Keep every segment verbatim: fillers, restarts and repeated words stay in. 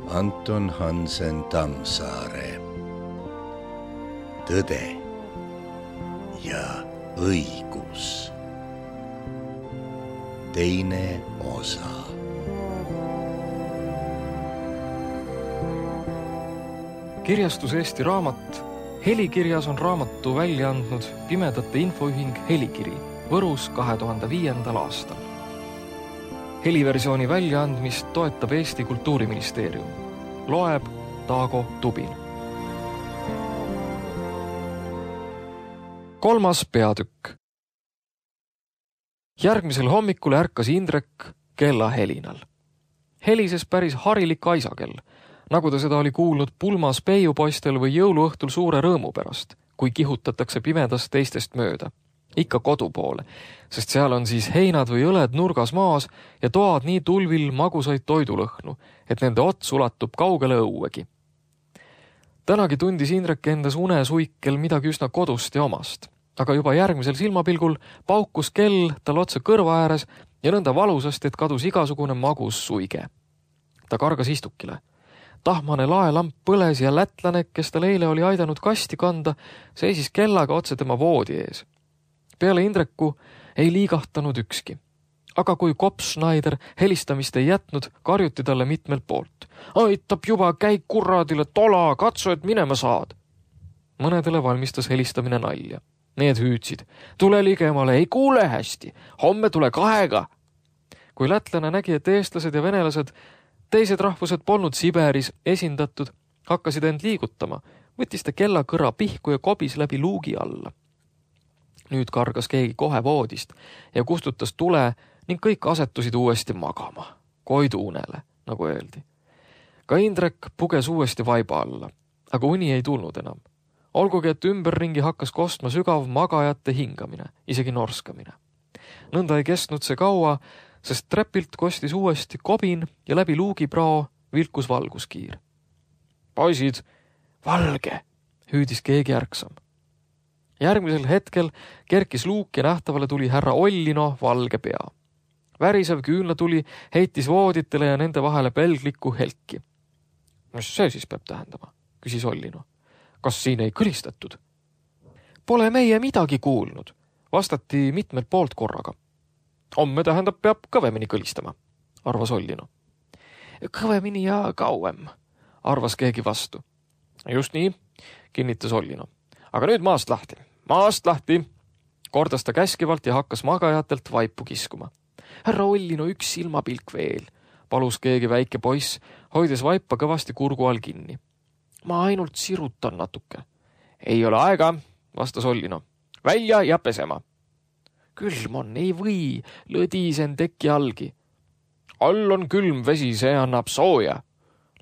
Anton Hansen Tammsaare. Tõde ja õigus. Teine osa. Kirjastus Eesti Raamat. Helikirjas on raamatu välja andnud Pimedate Infoühing Helikiri Võrus kahe tuhande viiendal aastal. Heliversiooni väljaandmist toetab Eesti Kultuuriministeerium. Loeb Taago Tubin. Kolmas peatükk. Järgmisel hommikul ärkas Indrek kella helinal. Helises päris harilik aisakell, nagu ta seda oli kuulnud pulmas peiupoistel või jõuluõhtul suure rõõmu pärast, kui kihutatakse pimedas teistest mööda. Ikka kodu poole, sest seal on siis heinad või õled nurgas maas ja toad nii tulvil magusaid toidulõhnu, et nende ots ulatub kaugele õuegi. Tänagi tundis Indrek endas unesuikel midagi üsna kodust ja omast, aga juba järgmisel silmapilgul paukus kell tal otse kõrva ääres ja nõnda valusasti, et kadus igasugune magus suige. Ta kargas istukile. Tahmane laelamp põles ja lätlane, kes tal eile oli aidanud kasti kanda, seisis kellaga otse tema voodi ees. Peale Indreku ei liigahtanud ükski. Aga kui Kops-Schneider helistamist ei jätnud, karjuti talle mitmelt poolt. Aitab juba, käi kurradile, tola, katsu, et minema saad. Mõnedele valmistas helistamine nalja. Need hüüdsid. Tule ligemale, ei kuule hästi. Homme tule kahega. Kui lätlane nägi, et eestlased ja venelased, teised rahvused polnud Siberis esindatud, hakkasid end liigutama, võttis ta kella kõrra pihku ja kobis läbi luugi alla. Nüüd kargas keegi kohe voodist ja kustutas tule ning kõik asetusid uuesti magama. Koidu unele, nagu öeldi. Ka Indrek puges uuesti vaiba alla, aga uni ei tulnud enam. Olgugi, et ümberringi hakkas kostma sügav magajate hingamine, isegi norskamine. Nõnda ei kestnud see kaua, sest trepilt kostis uuesti kobin ja läbi luugiprao vilkus valguskiir. Poisid, valge, hüüdis keegi ärksam. Järgmisel hetkel kerkis luuk ja nähtavale tuli härra Ollino valge pea. Värisev küünlatuli heitis vooditele ja nende vahele pelglikku helki. Mis see siis peab tähendama, küsis Ollino. Kas siin ei kõlistatud? Pole meie midagi kuulnud, vastati mitmelt poolt korraga. Homme tähendab, peab kõvemini kõlistama, arvas Ollino. Kõvemini ja kauem, arvas keegi vastu. Just nii, kinnitas Ollino. Aga nüüd maast lahti. Maast lahti, kordas ta käskivalt ja hakkas magajatelt vaipu kiskuma. Härra Ollino, üks silmapilk veel, palus keegi väike poiss, hoides vaipa kõvasti kurgu all kinni. Ma ainult sirutan natuke. Ei ole aega, vastas Ollino. Välja ja pesema. Külm on, ei või, lõdisen teki allgi. All on külm vesi, see annab sooja,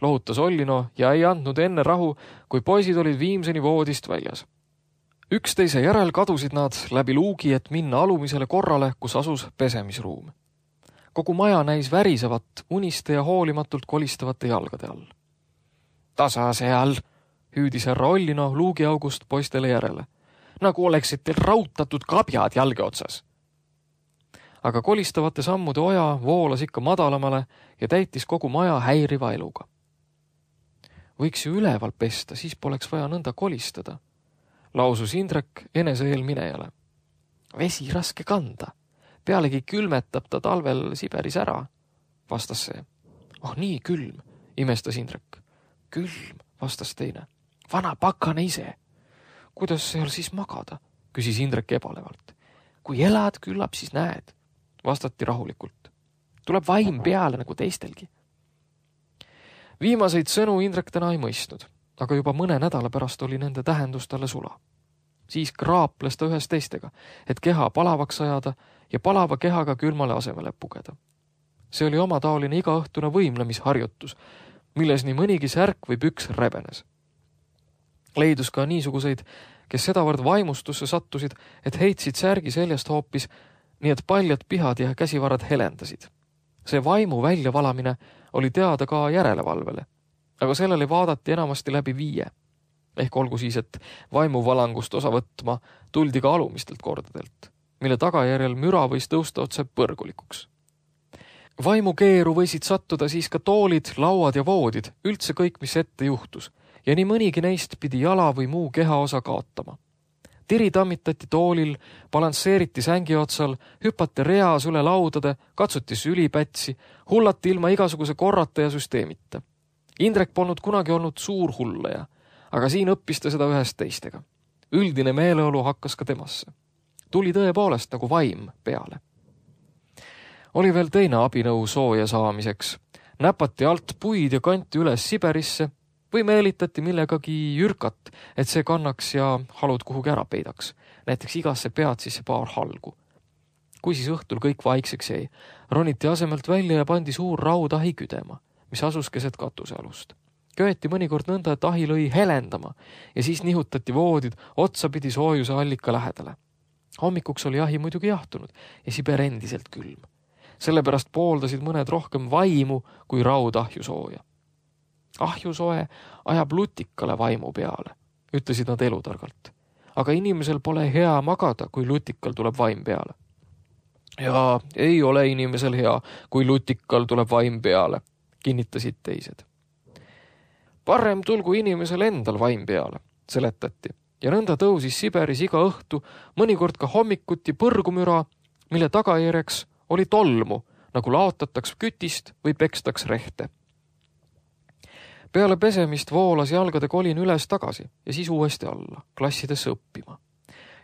lohutas Ollino ja ei andnud enne rahu, kui poisid olid viimseni voodist väljas. Üksteise järel kadusid nad läbi luugi, et minna alumisele korrale, kus asus pesemisruum. Kogu maja näis värisevat, uniste ja hoolimatult kolistavate jalgade all. Tasa seal, hüüdis härra Ollino luugiaugust poistele järele, nagu oleksid teil rautatud kabjad jalge otsas. Aga kolistavate sammude oja voolas ikka madalamale ja täitis kogu maja häiriva eluga. Võiks ju üleval pesta, siis poleks vaja nõnda kolistada, lausus Indrek enese eelminejale. Vesi raske kanda, pealegi külmetab ta talvel Siberis ära, vastas see. Oh nii külm, imestas Indrek. Külm, vastas teine. Vana pakane ise. Kuidas seal siis magada, küsis Indrek ebalevalt. Kui elad, küllap siis näed, vastati rahulikult. Tuleb vaim peale nagu teistelgi. Viimaseid sõnu Indrek täna ei mõistnud, aga juba mõne nädala pärast oli nende tähendus talle sula. Siis kraaples ta ühes teistega, et keha palavaks ajada ja palava kehaga külmale asemele pugeda. See oli oma taoline igaõhtune võimlemisharjutus, milles nii mõnigi särk või püks rebenes. Leidus ka niisuguseid, kes sedavõrd vaimustusse sattusid, et heitsid särgi seljast hoopis, nii et paljad pihad ja käsivarad helendasid. See vaimu väljavalamine oli teada ka järelevalvele, aga sellele vaadati enamasti läbi viie. Ehk olgu siis, et vaimuvalangust osa võtma tuldi ka alumistelt kordadelt, mille tagajärjel müra võis tõusta otse põrgulikuks. Vaimukeeru võisid sattuda siis ka toolid, lauad ja voodid, üldse kõik, mis ette juhtus, ja nii mõnigi neist pidi jala või muu kehaosa kaotama. Tiri tammitati toolil, balansseeriti sängi otsal, hüpati reas üle laudade, katsuti sülipätsi, hullati ilma igasuguse korrata ja süsteemita. Indrek polnud kunagi olnud suur hullaja, aga siin õppis ta seda ühest teistega. Üldine meeleolu hakkas ka temasse. Tuli tõepoolest nagu vaim peale. Oli veel teine abinõu sooja saamiseks. Näpati alt puid ja kanti üles Siberisse või meelitati millegagi jürkat, et see kannaks ja halud kuhugi ära peidaks. Näiteks igasse pead sisse paar halgu. Kui siis õhtul kõik vaikseks jäi, roniti asemelt välja ja pandi suur raudahi küdema, mis asus keset katusealust. Köeti mõnikord nõnda, et ahi lõi helendama ja siis nihutati voodid otsapidi soojuse allika lähedale. Hommikuks oli ahi muidugi jahtunud ja Siber endiselt külm. Sellepärast pooldasid mõned rohkem vaimu kui raudahju sooja. Ahju soe ajab lutikale vaimu peale, ütlesid nad elutargalt. Aga inimesel pole hea magada, kui lutikal tuleb vaim peale. Ja ei ole inimesel hea, kui lutikal tuleb vaim peale, kinnitasid teised. Parem tulgu inimesel endal vaim peale, seletati, ja nõnda tõusis Siberis iga õhtu, mõnikord ka hommikuti põrgumüra, mille tagajärjeks oli tolmu, nagu laotataks kütist või pekstaks rehte. Peale pesemist voolas jalgade kolin üles tagasi ja siis uuesti alla, klassidesse õppima.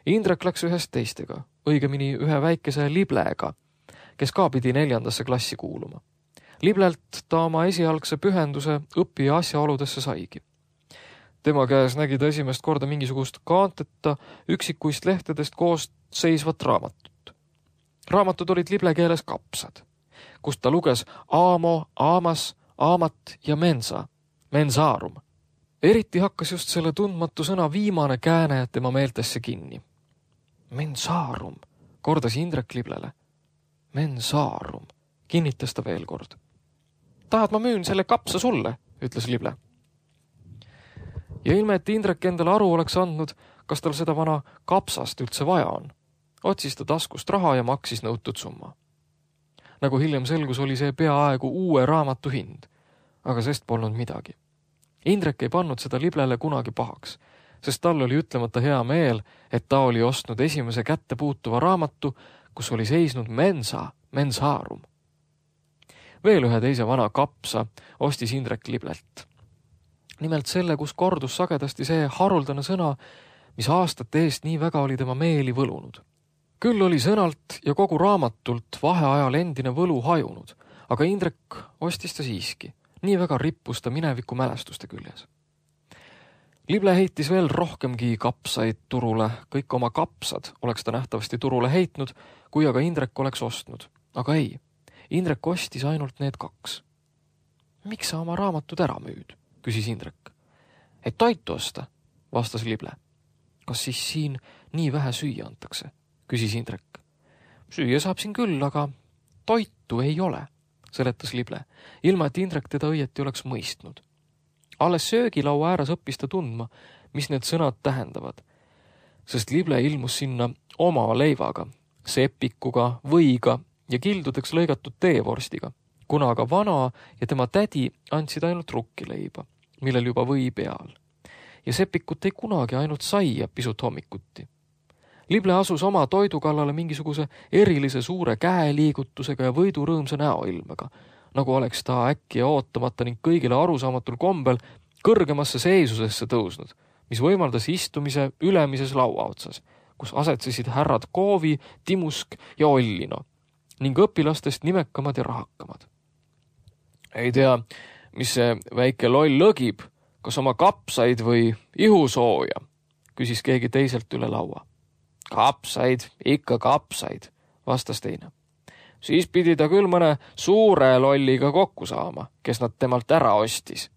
Indrek läks ühest teistega, õigemini ühe väikese liblega, kes ka pidi neljandasse klassi kuuluma. Liblelt ta oma esialgse pühenduse õppija asjaoludesse saigi. Tema käes nägi ta esimest korda mingisugust kaanteta üksikuist lehtedest koos seisvat raamatut. Raamatud olid lible keeles kapsad, kust ta luges aamo, aamas, aamat ja mensa, mensaarum. Eriti hakkas just selle tundmatu sõna viimane kääne tema meeltesse kinni. Mensaarum, kordas Indrek liblele. Mensaarum, kinnitas ta veel kord. Tahad ma müün selle kapsa sulle, ütles lible. Ja ilme, et Indrek endale aru oleks andnud, kas tal seda vana kapsast üldse vaja on. Otsis ta taskust raha ja maksis nõutud summa. Nagu hiljem selgus, oli see peaaegu uue raamatu hind, aga sest polnud midagi. Indrek ei pannud seda liblele kunagi pahaks, sest tal oli ütlemata hea meel, et ta oli ostnud esimese kätte puutuva raamatu, kus oli seisnud mensa, mensaarum. Veel ühe teise vana kapsa ostis Indrek liblelt. Nimelt selle, kus kordus sagedasti see haruldane sõna, mis aastate eest nii väga oli tema meeli võlunud. Küll oli sõnalt ja kogu raamatult vaheajal endine võlu hajunud, aga Indrek ostis ta siiski. Nii väga rippus ta mineviku mälestuste küljes. Lible heitis veel rohkemgi kapsaid turule, kõik oma kapsad oleks ta nähtavasti turule heitnud, kui aga Indrek oleks ostnud. Aga ei, Indrek ostis ainult need kaks. Miks sa oma raamatud ära müüd, küsis Indrek. Et toitu osta, vastas lible. Kas siis siin nii vähe süüa antakse, küsis Indrek. Süüa saab siin küll, aga toitu ei ole, seletas lible, ilma et Indrek teda õieti oleks mõistnud. Alles söögilaua ääres õppis ta tundma, mis need sõnad tähendavad, sest lible ilmus sinna oma leivaga, sepikuga, võiga ja kildudeks lõigatud teevorstiga, kuna aga vana ja tema tädi andsid ainult rukkileiba, millel juba või peal. Ja sepikut ei kunagi ainult saia pisut hommikuti. Lible asus oma toidu kallale mingisuguse erilise suure käeliigutusega ja võidurõõmsa näoilmega, nagu oleks ta äkki ja ootamata ning kõigile arusaamatul kombel kõrgemasse seisusesse tõusnud, mis võimaldas istumise ülemises laua otsas, kus asetsesid härrad Koovi, Timusk ja Ollino ning õpilastest nimekamad ja rahakamad. Ei tea, mis see väike loll lõgib, kas oma kapsaid või ihusooja, küsis keegi teiselt üle laua. Kapsaid, ikka kapsaid, vastas teine. Siis pidi ta küll mõne suure lolliga kokku saama, kes nad temalt ära ostis,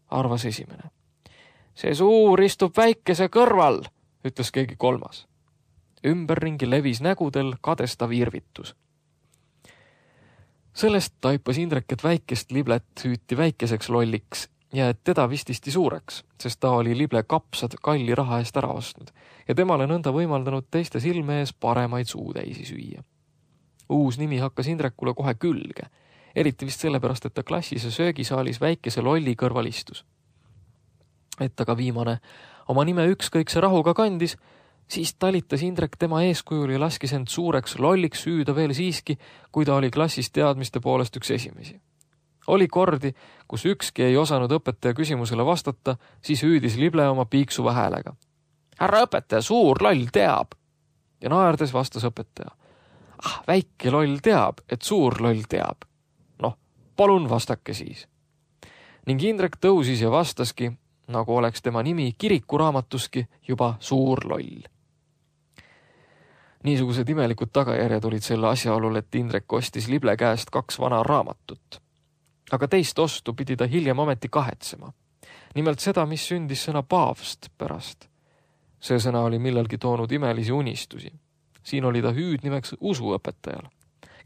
arvas esimene. See suur istub väikese kõrval, ütles keegi kolmas. Ümberringi levis nägudel kadestav irvitus. Sellest taipas Indrek, et väikest liblet hüüti väikeseks lolliks ja et teda vististi suureks, sest ta oli lible kapsad kalli raha eest ära ostnud ja temale nõnda võimaldanud teiste silme ees paremaid suutäisi süüa. Uus nimi hakkas Indrekule kohe külge. eriti vist sellepärast, et ta klassis ja söögisaalis väikese lolli kõrval istus. Et aga viimane oma nime ükskõikse rahuga kandis, siis talitas Indrek tema eeskujul ja laskis end suureks lolliks süüda veel siiski, kui ta oli klassis teadmiste poolest üks esimesi. Oli kordi, kus ükski ei osanud õpetaja küsimusele vastata, siis hüüdis lible oma piiksuva häälega. Härra õpetaja, suur loll teab. Ja naerdes vastas õpetaja. Ah, väike loll teab, et suur loll teab. Noh, palun vastake siis. Ning Indrek tõusis ja vastaski, nagu oleks tema nimi kirikuraamatuski juba suur loll. Niisugused imelikud tagajärjed olid selle asjaolul, et Indrek ostis lible käest kaks vana raamatut. Aga teist ostu pidi ta hiljem ometi kahetsema. Nimelt seda, mis sündis sõna paavst pärast. See sõna oli millalgi toonud imelisi unistusi. Siin oli ta hüüdnimeks usuõpetajal,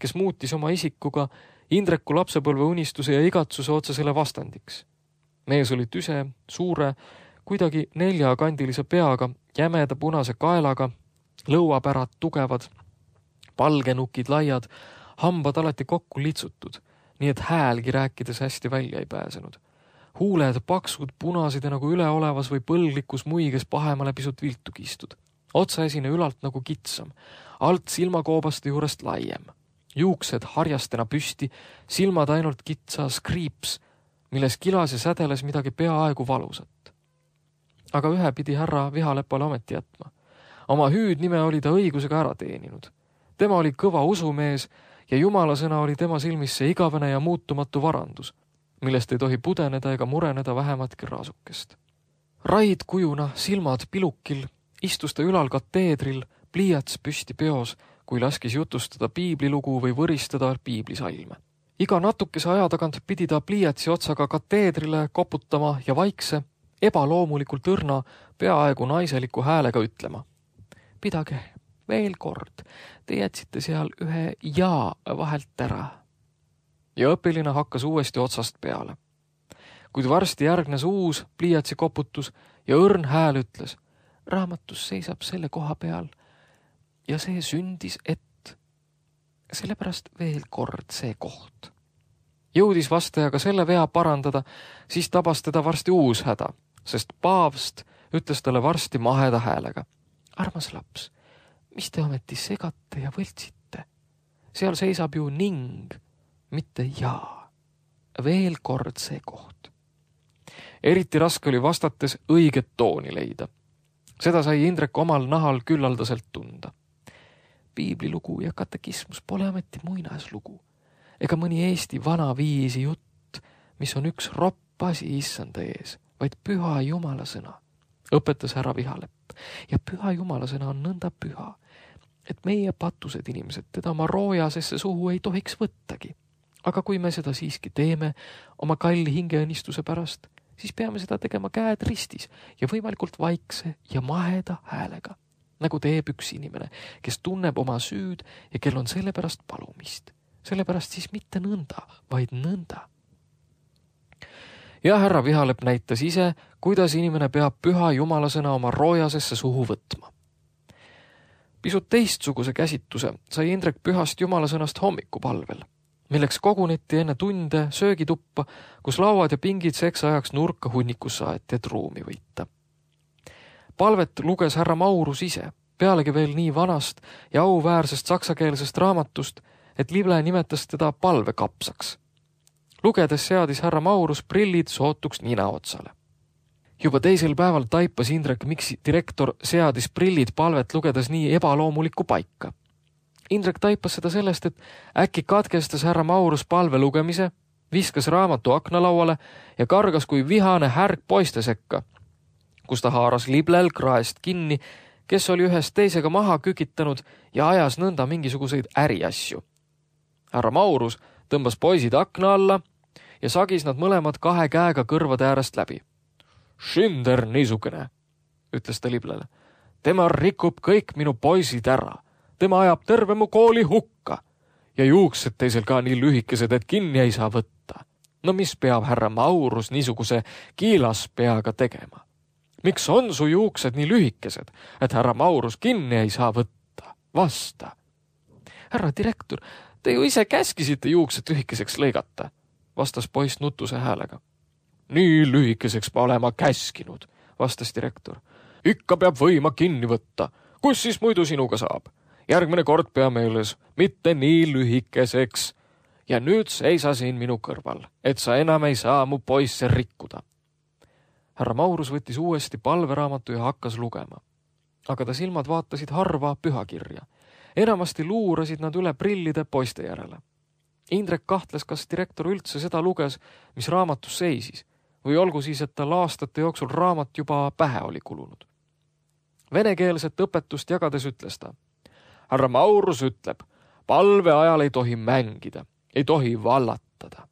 kes muutis oma isikuga Indreku lapsepõlve unistuse ja igatsuse otsesele vastandiks. Mees oli tüse, suure, kuidagi neljakandilise peaga, jämeda punase kaelaga, lõuapärad tugevad, palgenukid laiad, hambad alati kokku litsutud, nii et häälgi rääkides hästi välja ei pääsenud. Huuled paksud, punased ja nagu üleolevas või põlglikus muiges pahemale pisut viltu kistud. Otsaesine ülalt nagu kitsam, alt silmakoobaste juurest laiem. Juuksed harjastena püsti, silmad ainult kitsa skriips, milles kilas ja sädeles midagi peaaegu valusat. Aga ühe pidi härra Vihalepale ometi jätma. Oma hüüdnime oli ta õigusega ära teeninud. Tema oli kõva usumees ja Jumala sõna oli tema silmis see igavene ja muutumatu varandus, millest ei tohi pudeneda ega mureneda vähematki raasukest. Raid kujuna, silmad pilukil, istus ta ülal kateedril, pliiats püsti peos, kui laskis jutustada piiblilugu või võristada piiblisalme. Iga natukese aja tagant pidi ta pliiatsi otsaga kateedrile koputama ja vaikse, ebaloomulikult õrna, peaaegu naiseliku häälega ütlema. Pidage veel kord, te jätsite seal ühe ja vahelt ära. Ja õpiline hakkas uuesti otsast peale. Kuid varsti järgnes uus pliiatsi koputus ja õrn hääl ütles, raamatus seisab selle koha peal ja see sündis, et sellepärast veel kord see koht. Jõudis vastajaga selle vea parandada, siis tabas teda varsti uus häda, sest paavst ütles talle varsti maheda häälega. Armas laps, mis te ometi segate ja võltsite? Seal seisab ju ning, mitte jaa. Veel kord see koht. Eriti raske oli vastates õiget tooni leida. Seda sai Indrek omal nahal küllaldaselt tunda. Piiblilugu ja katekismus pole ometi muinaslugu, ega mõni Eesti vana viisi jutt, mis on üks ropp asi issanda ees, vaid püha Jumala sõna, õpetas härra Vihalepp. Ja püha Jumala sõna on nõnda püha, et meie patused inimesed teda oma roojasesse suhu ei tohiks võttagi. Aga kui me seda siiski teeme oma kalli hingeõnnistuse pärast, siis peame seda tegema käed ristis ja võimalikult vaikse ja maheda häälega, nagu teeb üks inimene, kes tunneb oma süüd ja kel on selle pärast palumist. Sellepärast siis mitte nõnda, vaid nõnda. Ja härra Vihalepp näitas ise, kuidas inimene peab püha Jumala sõna oma roojasesse suhu võtma. Pisut teistsuguse käsituse sai Indrek pühast Jumala sõnast hommikupalvel, milleks koguneti enne tunde söögituppa, kus lauad ja pingid seks ajaks nurka hunnikus saeti, et ruumi võita. Palvet luges härra Maurus ise, pealegi veel nii vanast ja auväärsest saksakeelsest raamatust, et lible nimetas teda palvekapsaks. Lugedes seadis härra Maurus prillid sootuks nina otsale. Juba teisel päeval taipas Indrek, miks direktor seadis prillid palvet lugedes nii ebaloomulikku paika. Indrek taipas seda sellest, et äkki katkestas härra Maurus palve lugemise, viskas raamatu aknalauale ja kargas kui vihane härg poiste sekka, kus ta haaras liblel kraest kinni, kes oli ühest teisega maha kükitanud ja ajas nõnda mingisuguseid äriasju. Härra Maurus tõmbas poisid akna alla ja sagis nad mõlemad kahe käega kõrvade äärest läbi. Schinder niisugune, ütles ta liblele. Tema rikub kõik minu poisid ära. Tema ajab terve mu kooli hukka ja juuksed teisel ka nii lühikesed, et kinni ei saa võtta. No mis peab härra Maurus niisuguse kiilaspeaga tegema? Miks on su juuksed nii lühikesed, et härra Maurus kinni ei saa võtta? Vasta. Härra direktor, Te ju ise käskisite juuksed lühikeseks lõigata, vastas poiss nutuse häälega. Nii lühikeseks ma olema käskinud, vastas direktor. Ikka peab võima kinni võtta. Kus siis muidu sinuga saab? Järgmine kord pea meeles, mitte nii lühikeseks. Ja nüüd seisa siin minu kõrval, et sa enam ei saa mu poisse rikkuda. Härra Maurus võttis uuesti palveraamatu ja hakkas lugema. Aga ta silmad vaatasid harva pühakirja. Enamasti luurasid nad üle prillide poiste järele. Indrek kahtles, kas direktor üldse seda luges, mis raamatus seisis, või olgu siis, et tal aastate jooksul raamat juba pähe oli kulunud. Venekeelset õpetust jagades ütles ta. Härra Maurus ütleb, palve ajal ei tohi mängida, ei tohi vallatada.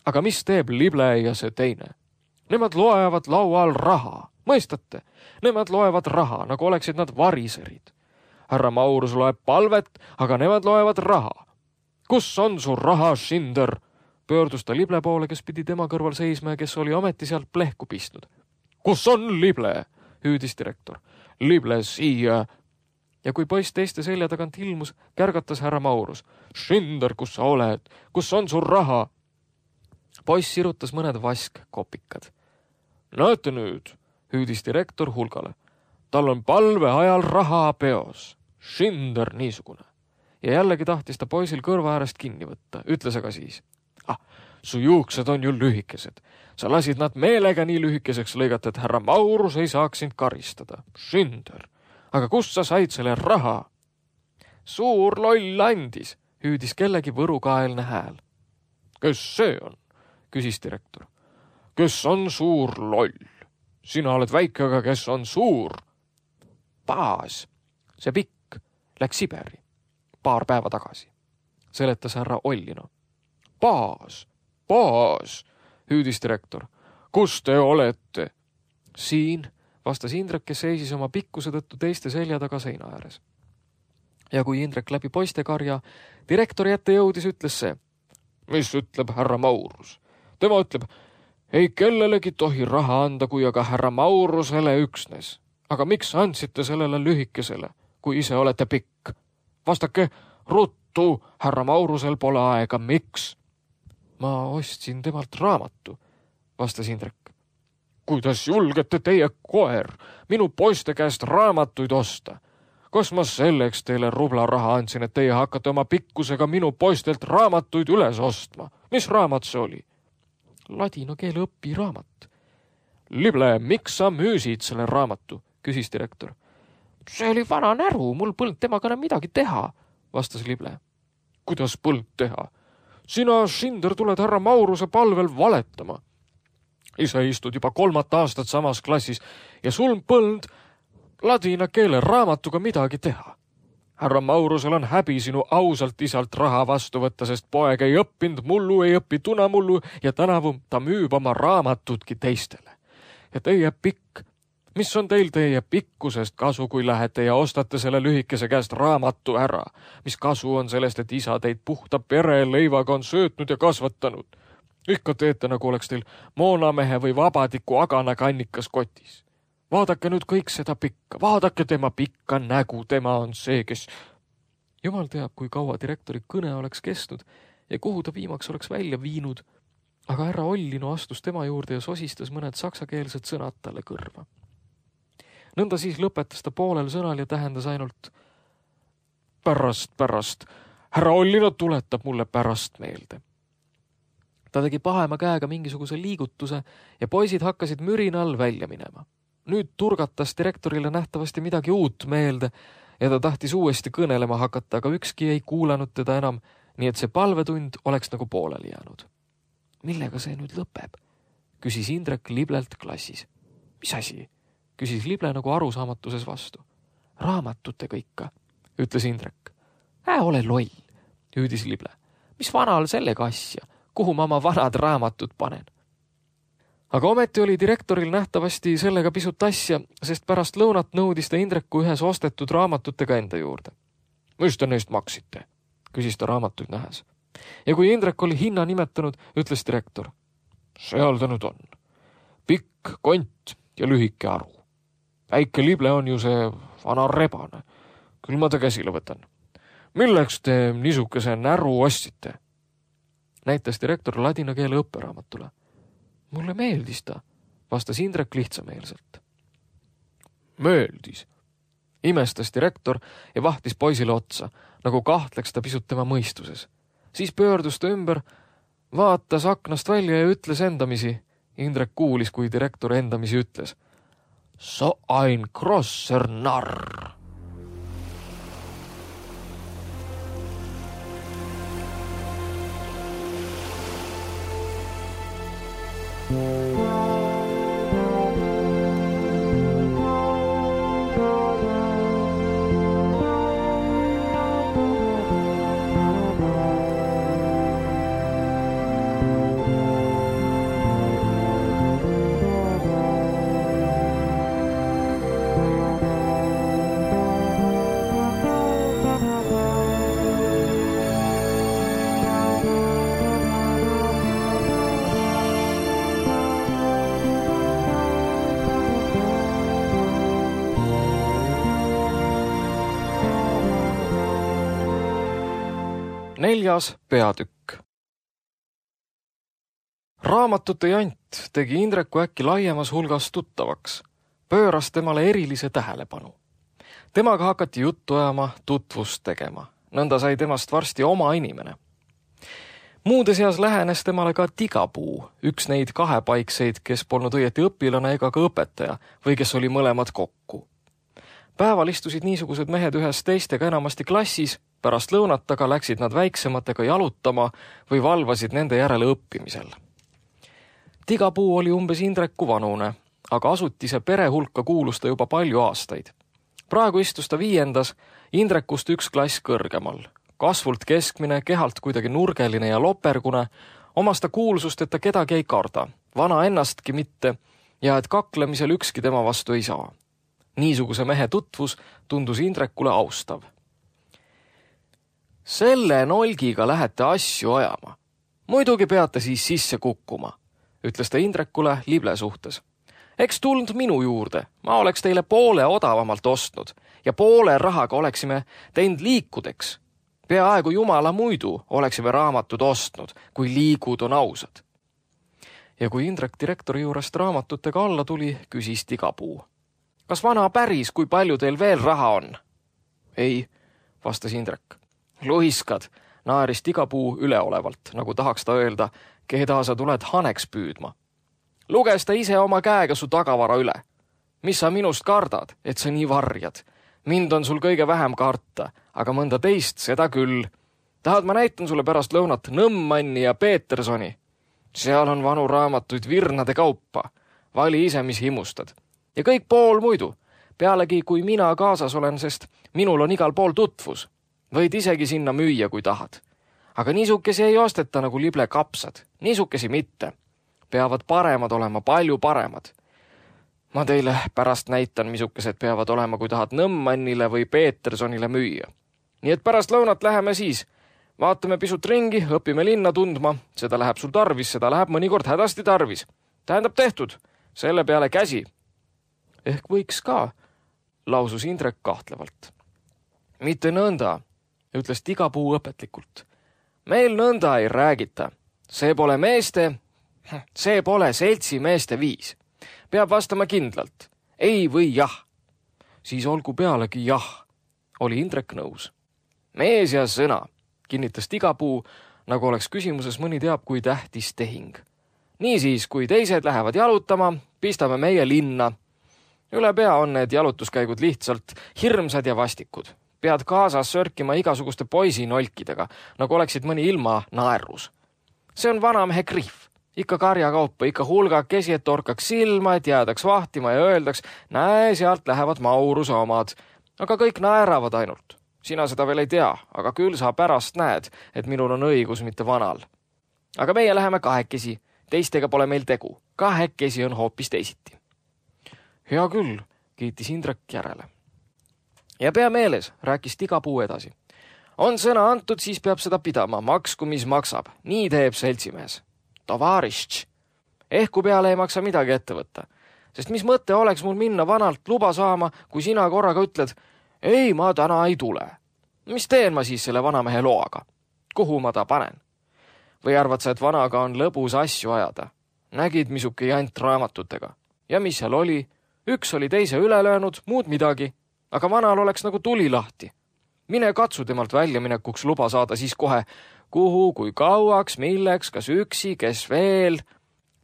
Aga mis teeb lible ja see teine? Nemad loevad laual raha, mõistate? Nemad loevad raha, nagu oleksid nad variserid. Härra Maurus loeb palvet, aga nemad loevad raha. Kus on su raha, Schinder? Pöördus ta lible poole, kes pidi tema kõrval seisma ja kes oli ometi sealt plehku pistnud. Kus on lible? Hüüdis direktor. Lible siia. Ja kui poiss teiste selja tagant ilmus, kärgatas härra Maurus. Schinder, kus sa oled? Kus on su raha? Poiss sirutas mõned vaskkopikad. Näete nüüd, hüüdis direktor hulgale. Tal on palve ajal raha peos. Schinder niisugune. Ja jällegi tahtis ta poisil kõrva äärest kinni võtta. Ütles aga siis. Ah, su juuksed on ju lühikesed. Sa lasid nad meelega nii lühikeseks lõigata, et härra Maurus ei saaks sind karistada. Schinder. Aga kust sa said selle raha? Suur loll andis, hüüdis kellegi võrukaelne hääl. Kes see on? Küsis direktor. Kes on suur loll? Sina oled väike, aga kes on suur? Paas, see pikk, läks Siberi paar päeva tagasi, seletas härra Ollino. Paas, paas, hüüdis direktor. Kus te olete? Siin, vastas Indrek, kes seisis oma pikkuse tõttu teiste selja taga seina ääres. Ja kui Indrek läbi poistekarja direktori ette jõudis, ütles see. Mis ütleb härra Maurus? Tema ütleb, ei kellelegi tohi raha anda, kui aga härra Maurusele üksnes. Aga miks andsite sellele lühikesele, kui ise olete pikk? Vastake, ruttu, härra Maurusel pole aega, miks? Ma ostsin temalt raamatu, vastas Indrek. Kuidas julgete teie koer minu poiste käest raamatuid osta? Kas ma selleks teile rubla raha andsin, et teie hakkate oma pikkusega minu poistelt raamatuid üles ostma? Mis raamat see oli? Ladina keele õpiraamat. Lible, miks sa müüsid selle raamatu? Küsis direktor. See oli vana näru, mul põld temaga enam midagi teha, vastas Lible. Kuidas põld teha? Sina, Schinder, tuled härra Mauruse palvel valetama. Ise istud juba kolmat aastat samas klassis ja sul põld ladina keele raamatuga midagi teha. Härra Maurusel on häbi sinu ausalt isalt raha vastu võtta, sest poeg ei õppinud mullu, ei õpi tunamullu ja tänavu ta müüb oma raamatudki teistele. Ja teie pikk, mis on teil teie pikkusest kasu, kui lähete ja ostate selle lühikese käest raamatu ära? Mis kasu on sellest, et isa teid puhta pereleivaga on söötnud ja kasvatanud? Ikka teete, nagu oleks teil moonamehe või vabadiku agana kannikas kotis. Vaadake nüüd kõik seda pikka, vaadake tema pikka nägu, tema on see, kes... Jumal teab, kui kaua direktori kõne oleks kestnud ja kuhu ta viimaks oleks välja viinud, aga härra Ollino astus tema juurde ja sosistas mõned saksakeelsed sõnad talle kõrva. Nõnda siis lõpetas ta poolel sõnal ja tähendas ainult pärast, pärast. Härra Ollino tuletab mulle pärast meelde. Ta tegi pahema käega mingisuguse liigutuse ja poisid hakkasid mürinal välja minema. Nüüd turgatas direktorile nähtavasti midagi uut meelde ja ta tahtis uuesti kõnelema hakata, aga ükski ei kuulanud teda enam, nii et see palvetund oleks nagu pooleli jäänud. Millega see nüüd lõpeb? Küsis Indrek Liblelt klassis. Mis asi? Küsis Lible nagu arusaamatuses vastu. Raamatutega ikka, ütles Indrek. Ää, ole loll, hüüdis Lible. Mis vanal sellega asja? Kuhu ma oma vanad raamatud panen? Aga ometi oli direktoril nähtavasti sellega pisut asja, sest pärast lõunat nõudis ta Indreku ühes ostetud raamatutega enda juurde. Mis te neist maksite? Küsis ta raamatuid nähes. Ja kui Indrek oli hinna nimetanud, ütles direktor. Seal ta nüüd on. Pikk kont ja lühike aru. Väike Lible on ju see vana rebane. Küll ma ta käsile võtan. milleks te niisuguse näru ostsite? Näitas direktor ladina keele õpperaamatule. Mulle meeldis ta, vastas Indrek lihtsameelselt. Meeldis. Imestas direktor ja vahtis poisile otsa, nagu kahtleks ta pisut tema mõistuses. Siis pöördus ta ümber, vaatas aknast välja ja ütles endamisi. Indrek kuulis, kui direktor endamisi ütles. So ein grosser narr. Neljas peatükk. Raamatute jant tegi Indreku äkki laiemas hulgas tuttavaks, pööras temale erilise tähelepanu. Temaga hakati juttu ajama, tutvust tegema. Nõnda sai temast varsti oma inimene. Muude seas lähenes temale ka Tigapuu, üks neid kahepaikseid, kes polnud õieti õpilane ega ka õpetaja või kes oli mõlemad kokku. Päeval istusid niisugused mehed ühes teistega enamasti klassis, pärast lõunat aga läksid nad väiksematega jalutama või valvasid nende järele õppimisel. Tigapuu oli umbes Indreku vanune, aga asutise pere hulka kuulus ta juba palju aastaid. Praegu istus ta viiendas, Indrekust üks klass kõrgemal. Kasvult keskmine, kehalt kuidagi nurgeline ja lopergune, omas ta kuulsust, et ta kedagi ei karda, vana ennastki mitte ja et kaklemisel ükski tema vastu ei saa. Niisuguse mehe tutvus tundus Indrekule austav. Selle nolgiga lähete asju ajama. Muidugi peate siis sisse kukkuma, ütles ta Indrekule lible suhtes. Eks tuld minu juurde, ma oleks teile poole odavamalt ostnud ja poole rahaga oleksime teinud liikudeks. Peaaegu jumala muidu oleksime raamatud ostnud, kui liigud on ausad. Ja kui Indrek direktori juurest raamatutega alla tuli, küsis Tigapuu. Kas vana päris, kui palju teil veel raha on? Ei, vastas Indrek. Luiskad, naeris Tigapuu üleolevalt, nagu tahaks ta öelda, keda sa tuled haneks püüdma. Luges ta ise oma käega su tagavara üle. Mis sa minust kardad, et sa nii varjad? Mind on sul kõige vähem karta, aga mõnda teist seda küll. Tahad, ma näitan sulle pärast lõunat Nõmmanni ja Petersoni. Seal on vanu raamatuid virnade kaupa. Vali ise, mis himustad. Ja kõik pool muidu. Pealegi, kui mina kaasas olen, sest minul on igal pool tutvus. Võid isegi sinna müüa, kui tahad. Aga niisukesi ei osteta nagu lible kapsad. Niisukesi mitte. Peavad paremad olema, palju paremad. Ma teile pärast näitan, misukesed peavad olema, kui tahad Nõmmannile või Petersonile müüa. Nii et pärast lõunat läheme siis. Vaatame pisut ringi, õpime linna tundma. Seda läheb sul tarvis, seda läheb mõnikord hädasti tarvis. Tähendab tehtud. Selle peale käsi. Ehk võiks ka, lausus Indrek kahtlevalt. Mitte nõnda, ütles Tigapuu õpetlikult. Meil nõnda ei räägita. See pole meeste, see pole seltsi meeste viis. Peab vastama kindlalt. Ei või jah. Siis olgu pealegi jah, oli Indrek nõus. Mees ja sõna, kinnitas Tigapuu, nagu oleks küsimuses mõni teab, kui tähtis tehing. Niisiis, kui teised lähevad jalutama, pistame meie linna. Üle pea on need jalutuskäigud lihtsalt hirmsad ja vastikud. Pead kaasas sörkima igasuguste poisinolkidega, nagu oleksid mõni ilma naerus. See on vanamehe krihv. Ikka karjakaupa, ikka hulgakesi, et torkaks silma, et jäädaks vahtima ja öeldaks, näe, sealt lähevad Mauruse omad. Aga kõik naeravad ainult. Sina seda veel ei tea, aga küll sa pärast näed, et minul on õigus mitte vanal. Aga meie läheme kahekesi. Teistega pole meil tegu. Kahekesi on hoopis teisiti. Hea küll, kiitis Indrek järele. Ja pea meeles, rääkis Tigapuu edasi. On sõna antud, siis peab seda pidama, maksku mis maksab. Nii teeb seltsimees. Tovarišč. Ehku peale ei maksa midagi ette võtta. Sest mis mõte oleks mul minna vanalt luba saama, kui sina korraga ütled, ei, ma täna ei tule. mis teen ma siis selle vanamehe loaga? Kuhu ma ta panen? Või arvad sa, et vanaga on lõbus asju ajada? Nägid, misuke jant raamatutega. Ja mis seal oli? Üks oli teise üle löönud, muud midagi. Aga vanal oleks nagu tuli lahti. Mine katsu temalt väljaminekuks luba saada siis kohe, kuhu, kui kauaks, milleks, kas üksi, kes veel.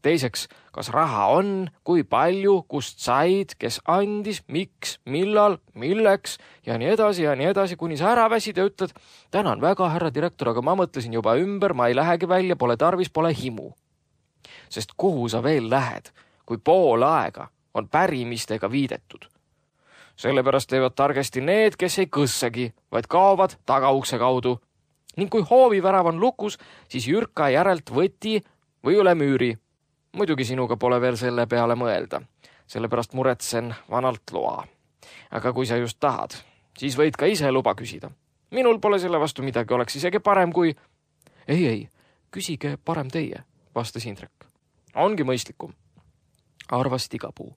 Teiseks, kas raha on, kui palju, kust said, kes andis, miks, millal, milleks ja nii edasi ja nii edasi, kuni sa ära väsid ja ütled, tänan väga, härra direktor, aga ma mõtlesin juba ümber, ma ei lähegi välja, pole tarvis, pole himu. Sest kuhu sa veel lähed, kui pool aega on pärimistega viidetud? Sellepärast teevad targesti need, kes ei kõssagi, vaid kaovad tagaukse kaudu. Ning kui hoovivärav on lukus, siis Jürka järelt võti või üle müüri. Muidugi sinuga pole veel selle peale mõelda, sellepärast muretsen vanalt loa. Aga kui sa just tahad, siis võid ka ise luba küsida. Minul pole selle vastu midagi, oleks isegi parem kui... Ei, ei, küsige parem teie, vastas Indrek. Ongi mõistlikum, arvas Tigapuu.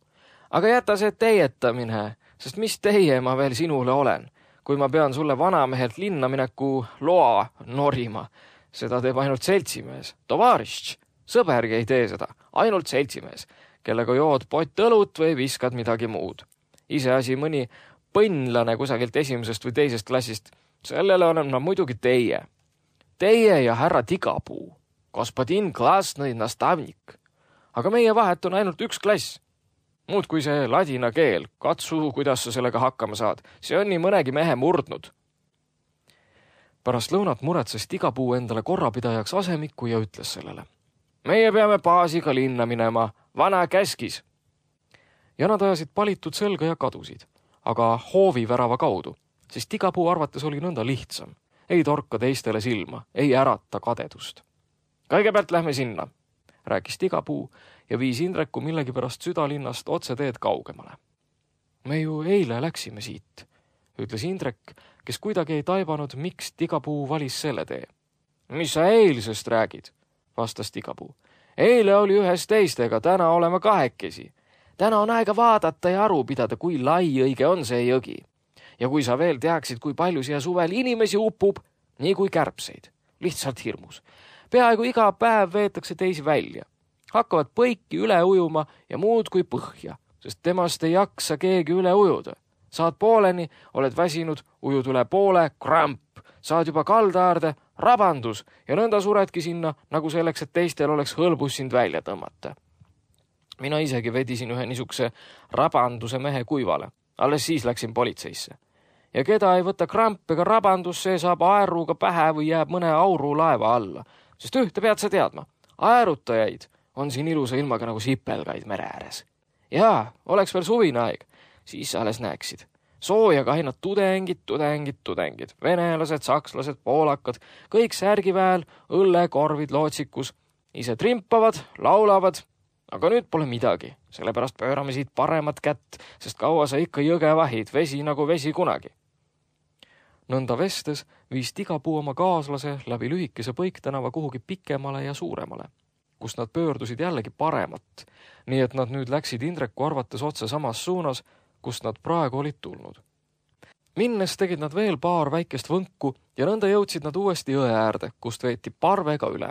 Aga jäta see teietamine, sest mis teie ma veel sinule olen, kui ma pean sulle vanamehelt linna mineku loa norima. Seda teeb ainult seltsimees, tovarišč. Sõbergi ei tee seda, ainult seltsimees, kellega jood pott õlut või viskad midagi muud. Iseasi mõni põnnlane kusagilt esimesest või teisest klassist, sellele olen ma muidugi teie. Teie ja härra Tigapuu, gospodin klasnõi nastavnik. Aga meie vahet on ainult üks klass. Muud kui see ladina keel, katsu, kuidas sa sellega hakkama saad. See on nii mõnegi mehe murdnud. Pärast lõunat muretses Tigapuu endale korrapidajaks asemiku ja ütles sellele. Meie peame baasiga linna minema, vana käskis. Ja nad ajasid palitud selga ja kadusid, aga hoovivärava kaudu, sest Tigapuu arvates oli nõnda lihtsam. Ei torka teistele silma, ei ärata kadedust. Kõigepealt lähme sinna, rääkis Tigapuu ja viis Indreku millegipärast südalinnast otse teed kaugemale. Me ju eile läksime siit, ütles Indrek, kes kuidagi ei taibanud, miks Tigapuu valis selle tee. Mis sa eilsest räägid? Vastas Tigapuu. Eile oli ühes teistega, täna oleme kahekesi. Täna on aega vaadata ja aru pidada, kui lai õige on see jõgi. Ja kui sa veel teaksid, kui palju siia suvel inimesi upub, nii kui kärbseid. Lihtsalt hirmus. Peaaegu iga päev veetakse teisi välja. Hakkavad põiki üle ujuma ja muud kui põhja, sest temast ei jaksa keegi üle ujuda. Saad pooleni, oled väsinud, ujud üle poole, kramp. Saad juba kaldaarde, rabandus ja nõnda suredki sinna, nagu selleks, et teistel oleks hõlbus sind välja tõmmata. Mina isegi vedisin ühe niisuguse rabanduse mehe kuivale. Alles siis läksin politseisse. Ja keda ei võta kramp ega rabandus, see saab aeruga pähe või jääb mõne auru laeva alla. Sest ühte pead sa teadma. Aerutajaid on siin ilusa ilmaga nagu sipelgaid mere ääres. Jaa, oleks veel suvine aeg. Siis alles näeksid. Soojaga ainult tudengid, tudengid, tudengid, venelased, sakslased, poolakad, kõik särgiväel, õlle, korvid, lootsikus, ise trimpavad, laulavad, aga nüüd pole midagi, sellepärast pöörame siit paremat kätt, sest kaua sa ikka jõge vahid, vesi nagu vesi kunagi. Nõnda vestes viis Tigapuu oma kaaslase läbi lühikese põiktänava kuhugi pikemale ja suuremale, kus nad pöördusid jällegi paremat, nii et nad nüüd läksid Indreku arvates otse samas suunas, kust nad praegu olid tulnud. Minnes tegid nad veel paar väikest võnku ja nõnda jõudsid nad uuesti jõe äärde, kust veeti parvega üle.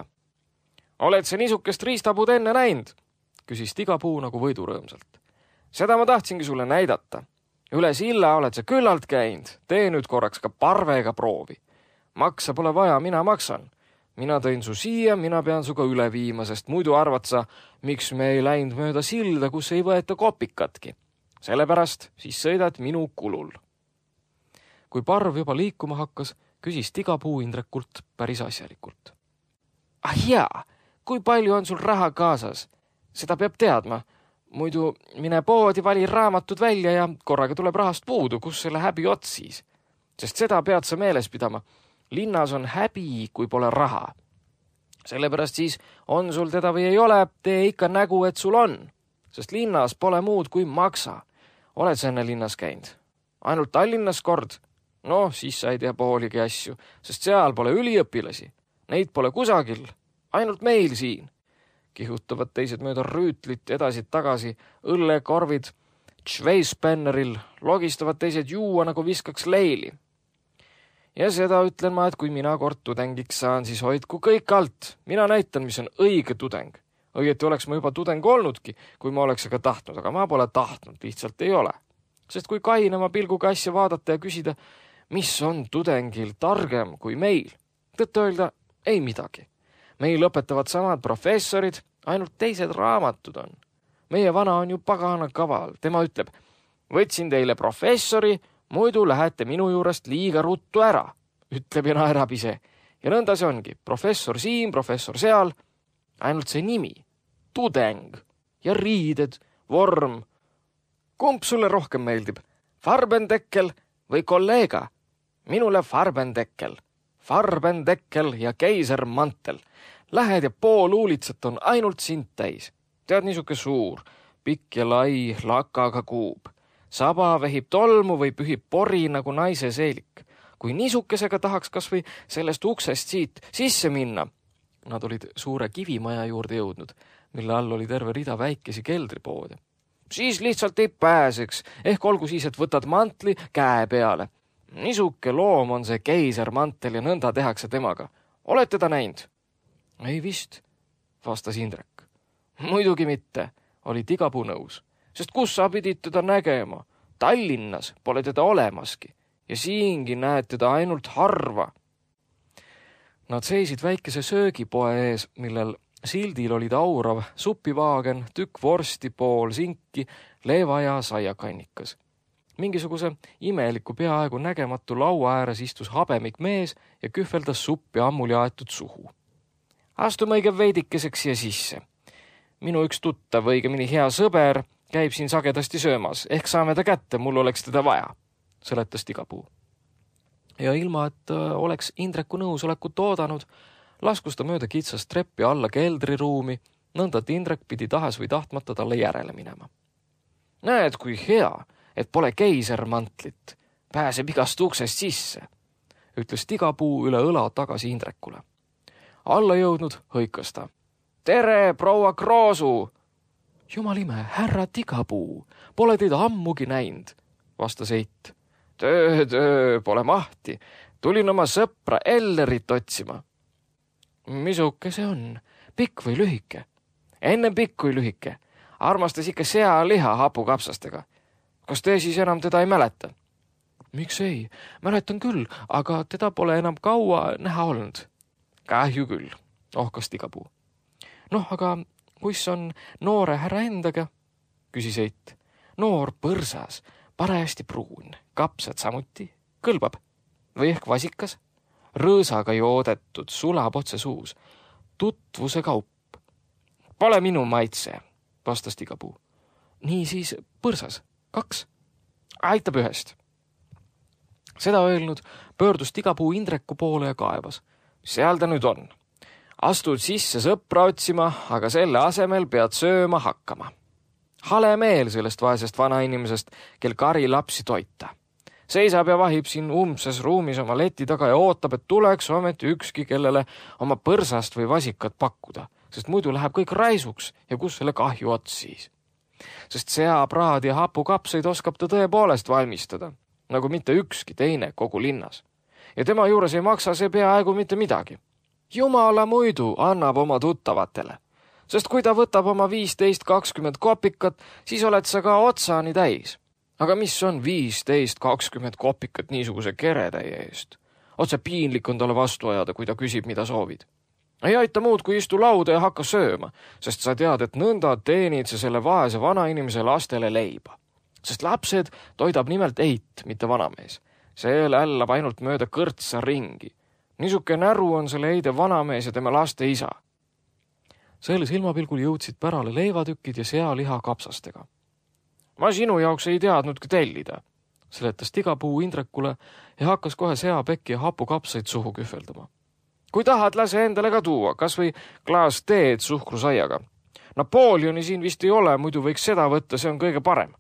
Oled see niisukest riistapuud enne näinud? Küsis Tigapuu nagu võidurõõmsalt. Seda ma tahtsingi sulle näidata. Üle silla oled sa küllalt käinud, tee nüüd korraks ka parvega proovi. Maksa pole vaja, mina maksan. Mina tõin su siia, mina pean suga üle viima, sest muidu arvad sa, miks me ei läinud mööda silda, kus ei võeta kopikatki. Sellepärast siis sõidad minu kulul. Kui parv juba liikuma hakkas, küsis Tigapuu Indrekult päris asjalikult. Ah jaa, kui palju on sul raha kaasas? Seda peab teadma. Muidu mine poodi, vali raamatud välja ja korraga tuleb rahast puudu, kus selle häbi ots siis. Sest seda pead sa meeles pidama. Linnas on häbi, kui pole raha. Sellepärast siis on sul teda või ei ole, tee ikka nägu, et sul on. Sest linnas pole muud kui maksa. Oled sa enne linnas käinud? Ainult Tallinnas kord? No, siis sa ei tea pooligi asju, sest seal pole üliõpilasi. Neid pole kusagil, ainult meil siin. Kihutavad teised mööda rüütlit edasi-tagasi, õllekorvid, tšveispenneril, logistavad teised juua nagu viskaks leili. Ja seda ütlen ma, et kui mina kord tudengiks saan, siis hoidku kõik alt. Mina näitan, mis on õige tudeng. Õieti oleks ma juba tudeng olnudki, kui ma oleks aga tahtnud, aga ma pole tahtnud, lihtsalt ei ole. Sest kui kainema pilguga asja vaadata ja küsida, mis on tudengil targem kui meil, tõtt öelda ei midagi. Meil õpetavad samad professorid, ainult teised raamatud on. Meie vana on ju pagana kaval. Tema ütleb, võtsin teile professori, muidu lähete minu juurest liiga ruttu ära, ütleb ja naerab ise. Ja nõnda see ongi, professor siin, professor seal, ainult see nimi, tudeng ja riided, vorm. Kumb sulle rohkem meeldib, Farbendekkel või kolleega? Minule Farbendekkel, Farbendekkel ja keisermantel. Lähed ja pool uulitsat on ainult sind täis. Tead niisuke suur, pikk ja lai, lakaga kuub. Saba vehib tolmu või pühib pori nagu naise seelik. Kui niisukesega tahaks kas või sellest uksest siit sisse minna. Nad olid suure kivimaja juurde jõudnud, mille all oli terve rida väikesi keldripoode. Siis lihtsalt ei pääseks, ehk olgu siis, et võtad mantli käe peale. Niisuke loom on see keisermantel ja nõnda tehakse temaga. Olete ta näinud? Ei vist, vastas Indrek. Muidugi mitte, oli Tigapuu nõus, sest kus sa pidid teda nägema? Tallinnas pole teda olemaski ja siingi näed teda ainult harva. Nad seisid väikese söögipoe ees, millel sildil olid aurav supivaagen, tükk vorsti, pool sinki, leeva ja saiakannikas. Mingisuguse imeliku peaaegu nägematu laua ääres istus habemik mees ja kühveldas suppi ammuli aetud suhu. Astume õige veidikeseks siia sisse. Minu üks tuttav, õigemini hea sõber, käib siin sagedasti söömas, ehk saame ta kätte, mul oleks teda vaja, seletas Tigapuu. Ja ilma, et oleks Indreku nõusolekut oodanud, laskus ta mööda kitsast treppi alla keldriruumi, nõnda et Indrek pidi tahes või tahtmata talle järele minema. Näed, kui hea, et pole keisermantlit, pääseb igast uksest sisse, ütles Tigapuu üle õla tagasi Indrekule. Alla jõudnud hõikas ta. Tere, proua Kroosu! Jumal ime, härra Tigapuu, pole teid ammugi näinud, vastas Eit. Töö, töö, pole mahti. Tulin oma sõpra Ellerit otsima. Misuke see on? Pikk või lühike? Enne pikk kui lühike. Armastas ikka sea liha hapukapsastega. Kas te siis enam teda ei mäleta? Miks ei? Mäletan küll, aga teda pole enam kaua näha olnud. Kahju küll, ohkas Tigapuu. Noh, aga kuis on noore härra endaga? Küsis Eit. Noor põrsas, parajasti pruun, kapsad samuti, kõlbab. Või ehk vasikas? Rõõsaga joodetud, sulab otse suus. Tutvuse kaup. Pole minu maitse, vastas Tigapuu. Nii siis põrsas, kaks. Aitab ühest. Seda öelnud pöördus Tigapuu Indreku poole ja kaevas. Seal ta nüüd on. Astud sisse sõpra otsima, aga selle asemel pead sööma hakkama. Hale meel sellest vaesest vanainimesest, kel kari lapsi toita. Seisab ja vahib siin umbses ruumis oma leti taga ja ootab, et tuleks ometi ükski, kellele oma põrsast või vasikat pakkuda, sest muidu läheb kõik raisuks ja kus selle kahju ots siis. Sest seapraad ja hapukapseid oskab ta tõepoolest valmistada, nagu mitte ükski teine kogu linnas. Ja tema juures ei maksa see peaaegu mitte midagi. Jumala muidu annab oma tuttavatele, sest kui ta võtab oma viisteist kakskümmend kopikat, siis oled sa ka otsani täis. Aga mis on viisteist kakskümmend kopikat niisuguse keretäie eest? Otse piinlik on talle vastu ajada, kui ta küsib, mida soovid. Ei aita muud, kui istu lauda ja hakka sööma, sest sa tead, et nõnda teenid sa selle vaese vanainimese lastele leiba. Sest lapsed toidab nimelt Eit, mitte vanamees. See lällab ainult mööda kõrtsa ringi. Niisuke näru on selle Eide vanamees ja tema laste isa. Selle silmapilgul jõudsid pärale leivatükid ja sealiha kapsastega. Ma sinu jaoks ei teadnudki tellida, seletas Tigapuu Indrekule ja hakkas kohe seapekki ja hapukapsaid suhu kühveldama. Kui tahad, lase endale ka tuua, kas või klaas teed suhkrusaiaga. Napoleoni siin vist ei ole, muidu võiks seda võtta, see on kõige parem.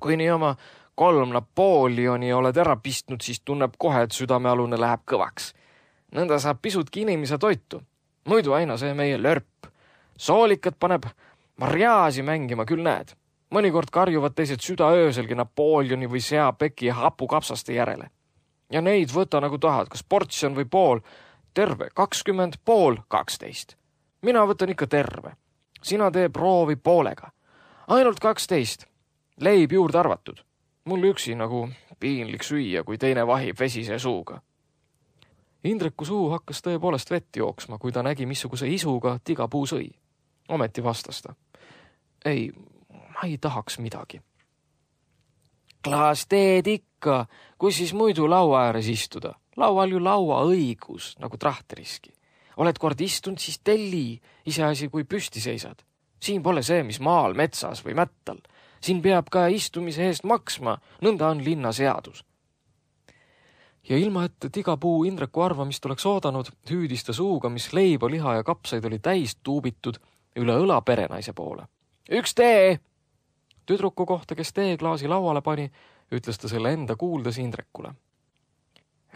Kui nii oma kolm Napoleoni oled ära pistnud, siis tunneb kohe, et südamealune läheb kõvaks. Nõnda saab pisutki inimese toitu. Muidu aina see meie lörp. Soolikat paneb marjaasi mängima, küll näed. Mõnikord karjuvad teised südaööselgi Napoleoni või seapeki ja hapukapsaste järele. ja neid võta nagu tahad, kas portsjon või pool, terve kakskümmend, pool kaksteist. Mina võtan ikka terve. Sina tee proovi poolega. Ainult kaksteist. Leib juurde arvatud. Mul üksi nagu piinlik süüa, kui teine vahib vesise suuga. Indreku suu hakkas tõepoolest vett jooksma, kui ta nägi, missuguse isuga Tigapuu sõi. Ometi vastas ta. Ei, ma ei tahaks midagi. Klaas teed ikka, kui siis muidu laua ääres istuda. Laual ju laua õigus, nagu trahteriski. Oled kord istunud, siis telli, iseasi kui püsti seisad. Siin pole see, mis maal, metsas või mättal. Siin peab ka istumise eest maksma, nõnda on linna seadus. Ja ilma, et Tigapuu Indreku arvamist oleks oodanud, hüüdis ta suuga, mis leiba, liha ja kapsaid oli täis tuubitud üle õla perenaise poole. Üks tee! Tüdruku kohta, kes teeklaasi lauale pani, ütles ta selle enda kuuldes Indrekule.